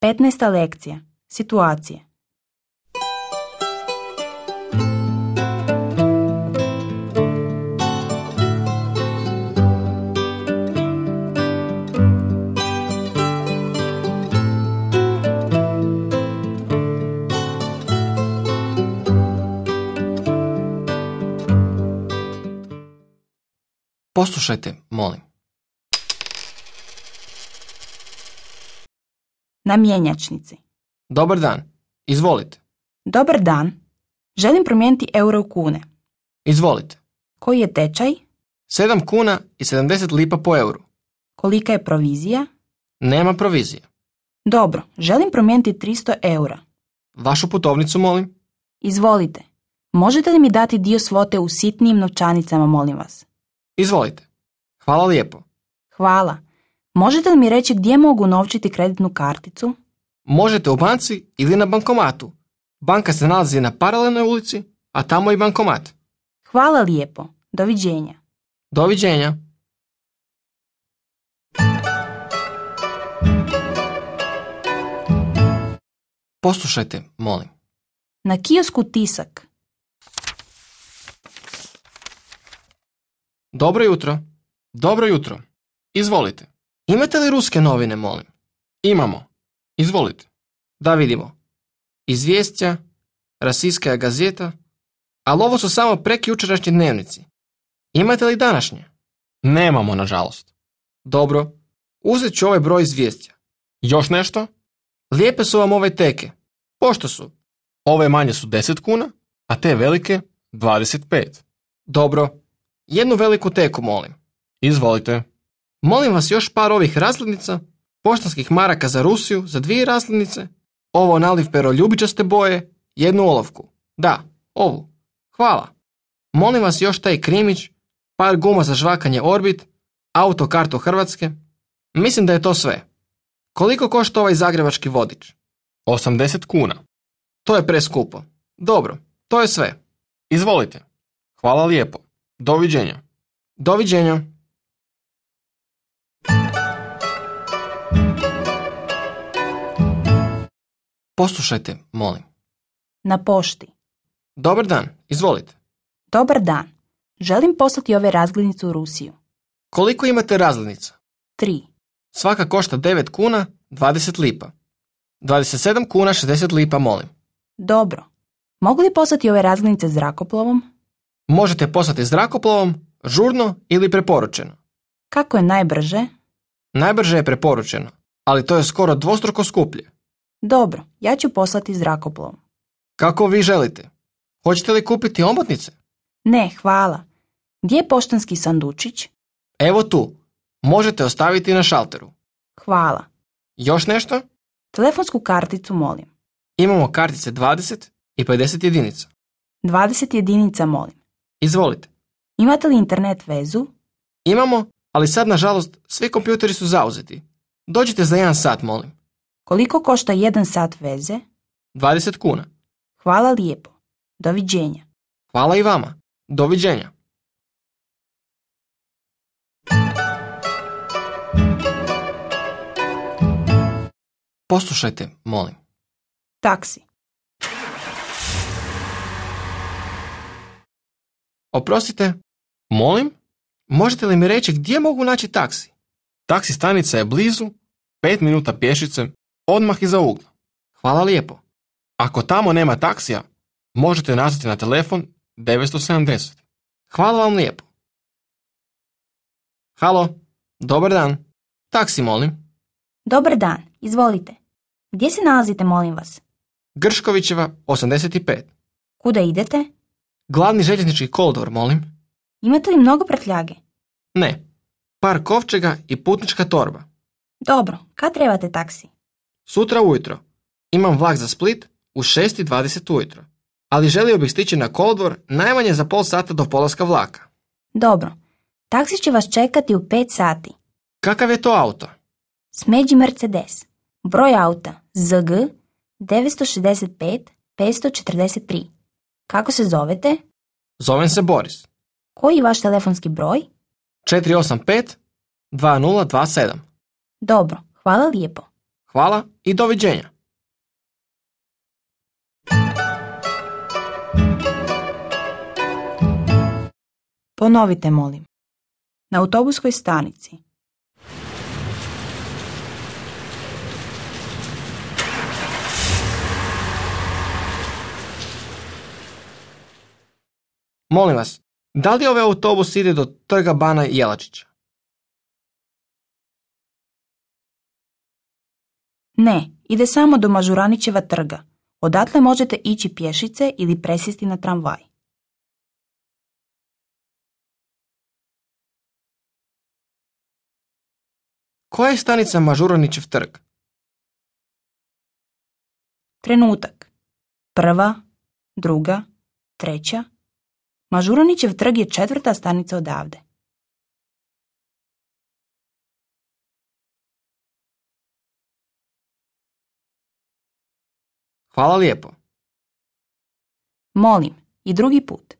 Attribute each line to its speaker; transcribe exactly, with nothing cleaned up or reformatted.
Speaker 1: petnaesta lekcija. Situacije.
Speaker 2: Poslušajte, molim.
Speaker 1: Na mjenjačnici.
Speaker 2: Dobar dan. Izvolite.
Speaker 1: Dobar dan. Želim promijeniti euro u kune.
Speaker 2: Izvolite.
Speaker 1: Koji je tečaj?
Speaker 2: sedam kuna i sedamdeset lipa po euru.
Speaker 1: Kolika je provizija?
Speaker 2: Nema provizije.
Speaker 1: Dobro, želim promijeniti tristo eura.
Speaker 2: Vašu putovnicu, molim.
Speaker 1: Izvolite. Možete li mi dati dio svote u sitnijim novčanicama, molim vas?
Speaker 2: Izvolite. Hvala lijepo.
Speaker 1: Hvala. Možete li mi reći gdje mogu unovčiti kreditnu karticu?
Speaker 2: Možete u banci ili na bankomatu. Banka se nalazi na paralelnoj ulici, a tamo i bankomat.
Speaker 1: Hvala lijepo. Doviđenja.
Speaker 2: Doviđenja. Poslušajte, molim.
Speaker 1: Na kiosku Tisak.
Speaker 2: Dobro jutro. Dobro jutro. Izvolite. Imate li ruske novine, molim? Imamo. Izvolite. Da vidimo. Izvješća, Rasijska gazeta, ali ovo su samo prekjučerašnji dnevnici. Imate li današnje? Nemamo, nažalost. Dobro. Uzet ću ovaj broj izvješća. Još nešto? Lijepe su vam ove teke. Pošto su? Ove manje su deset kuna, a te velike dvadeset pet. Dobro. Jednu veliku teku, molim. Izvolite. Molim vas još par ovih rasljednica, poštanskih maraka za Rusiju, za dvije rasljednice, ovo naliv pero ljubičaste boje, jednu olovku. Da, ovu. Hvala. Molim vas još taj krimić, par guma za žvakanje Orbit, autokartu Hrvatske. Mislim da je to sve. Koliko košta ovaj zagrebački vodič? osamdeset kuna. To je preskupo. Dobro, to je sve. Izvolite. Hvala lijepo. Doviđenja. Doviđenja. Poslušajte, molim.
Speaker 1: Na pošti.
Speaker 2: Dobar dan, izvolite.
Speaker 1: Dobar dan. Želim poslati ove razglednice u Rusiju.
Speaker 2: Koliko imate razglednica?
Speaker 1: Tri.
Speaker 2: Svaka košta devet kuna, dvadeset lipa. dvadeset sedam kuna, šezdeset lipa, molim.
Speaker 1: Dobro. Mogu li poslati ove razglednice zrakoplovom?
Speaker 2: Možete poslati zrakoplovom, žurno ili preporučeno.
Speaker 1: Kako je najbrže?
Speaker 2: Najbrže je preporučeno, ali to je skoro dvostruko skuplje.
Speaker 1: Dobro, ja ću poslati zrakoplovom.
Speaker 2: Kako vi želite? Hoćete li kupiti omotnice?
Speaker 1: Ne, hvala. Gdje je poštanski sandučić?
Speaker 2: Evo tu. Možete ostaviti na šalteru.
Speaker 1: Hvala.
Speaker 2: Još nešto?
Speaker 1: Telefonsku karticu, molim.
Speaker 2: Imamo kartice dvadeset i pedeset jedinica.
Speaker 1: dvadeset jedinica, molim.
Speaker 2: Izvolite.
Speaker 1: Imate li internet vezu?
Speaker 2: Imamo, ali sad nažalost svi kompjuteri su zauzeti. Dođite za jedan sat, molim.
Speaker 1: Koliko košta jedan sat veze?
Speaker 2: dvadeset kuna.
Speaker 1: Hvala lijepo. Doviđenja.
Speaker 2: Hvala i vama. Doviđenja. Poslušajte, molim.
Speaker 1: Taksi.
Speaker 2: Oprostite, molim? Možete li mi reći gdje mogu naći taksi? Taksi stanica je blizu, pet minuta pješice, odmah iza ugla. Hvala lijepo. Ako tamo nema taksija, možete nazvati na telefon devetsto sedamdeset. Hvala vam lijepo. Halo, dobar dan. Taksi, molim.
Speaker 1: Dobar dan, izvolite. Gdje se nalazite, molim vas?
Speaker 2: Grškovićeva, osamdeset pet.
Speaker 1: Kuda idete?
Speaker 2: Glavni željeznički kolodvor, molim.
Speaker 1: Imate li mnogo prtljage?
Speaker 2: Ne. Par kovčega i putnička torba.
Speaker 1: Dobro, kad trebate taksi?
Speaker 2: Sutra ujutro. Imam vlak za Split u šest i dvadeset ujutro. Ali želio bih stići na kolodvor najmanje za pol sata do polaska vlaka.
Speaker 1: Dobro. Taksi će vas čekati u pet sati.
Speaker 2: Kakav je to auto?
Speaker 1: Smeđi Mercedes. Broj auta Z G devetsto šezdeset pet petsto četrdeset tri. Kako se zovete?
Speaker 2: Zovem se Boris.
Speaker 1: Koji je vaš telefonski broj?
Speaker 2: četiri osam pet dva nula dva sedam.
Speaker 1: Dobro, hvala lijepo.
Speaker 2: Hvala i doviđenja.
Speaker 1: Ponovite, molim. Na autobuskoj stanici.
Speaker 2: Molim vas, da li ovaj autobus ide do trga Bana Jelačića?
Speaker 1: Ne, ide samo do Mažuranićeva trga. Odatle možete ići pješice ili presjesti na tramvaj.
Speaker 2: Koja je stanica Mažuranićev trg?
Speaker 1: Trenutak. Prva, druga, treća. Mažuranićev trg je četvrta stanica odavde.
Speaker 2: Hvala lijepo.
Speaker 1: Molim, i drugi put.